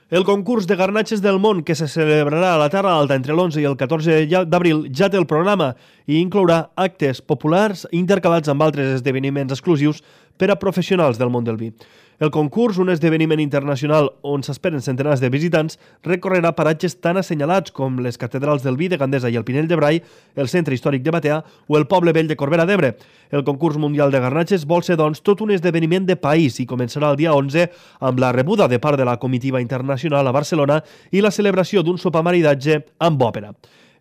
El concurs de garnatges del món que se celebrarà a la Terra Alta entre l'11 i el 14 d'abril ja té el programa i inclourà actes populars intercalats amb altres esdeveniments exclusius per a professionals del món del vi. El concurs, un esdeveniment internacional on s'esperen centenars de visitants, recorrerà paratges tan assenyalats com les catedrals del vi de Gandesa i el Pinell de Brai, el centre històric de Batea o el poble vell de Corbera d'Ebre. El concurs mundial de garnatges vol ser, doncs, tot un esdeveniment de país i començarà el dia 11 amb la rebuda de part de la comitiva internacional a Barcelona i la celebració d'un sopar maridatge amb òpera.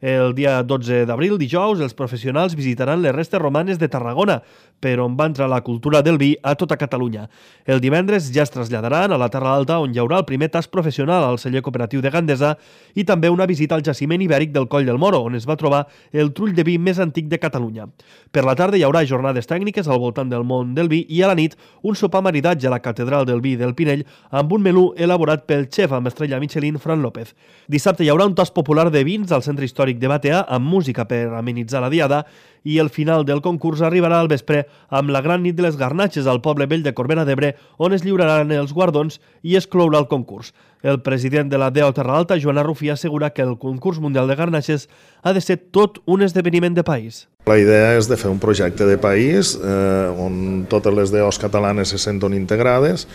El dia 12 d'abril, dijous, els professionals visitaran les restes romanes de Tarragona, per on va entrar la cultura del vi a tota Catalunya. El divendres ja es traslladaran a la Terra Alta, on hi haurà el primer tast professional al celler cooperatiu de Gandesa i també una visita al jaciment ibèric del Coll del Moro, on es va trobar el trull de vi més antic de Catalunya. Per la tarda hi haurà jornades tècniques al voltant del món del vi i a la nit un sopar maridatge a la Catedral del Vi del Pinell amb un menú elaborat pel xef amb estrella Michelin Fran López. Dissabte hi haurà un tast popular de vins al centre històric de Batea amb música per amenitzar la diada i el final del concurs arribarà al vespre amb la gran nit de les garnatges al poble vell de Corbera d'Ebre, on es lliuraran els guardons i es clourà el concurs. El president de la DEO Terra Alta, Joan Arrufí, assegura que el concurs mundial de garnatges ha de ser tot un esdeveniment de país. La idea és de fer un projecte de país on totes les DEOs catalanes se senten integrades.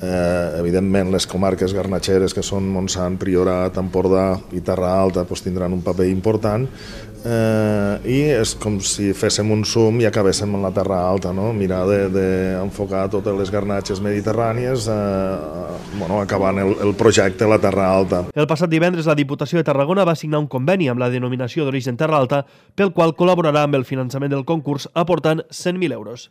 Evidentment, les comarques garnatxeres, que són Montsant, Priorat, Empordà i Terra Alta, tindran un paper important. I és com si féssim un zoom i acabéssim en la Terra Alta, no? Mirar d'enfocar totes les garnatxes mediterrànies acabant el projecte a la Terra Alta. El passat divendres la Diputació de Tarragona va signar un conveni amb la denominació d'origen Terra Alta pel qual col·laborarà amb el finançament del concurs aportant 100.000 euros.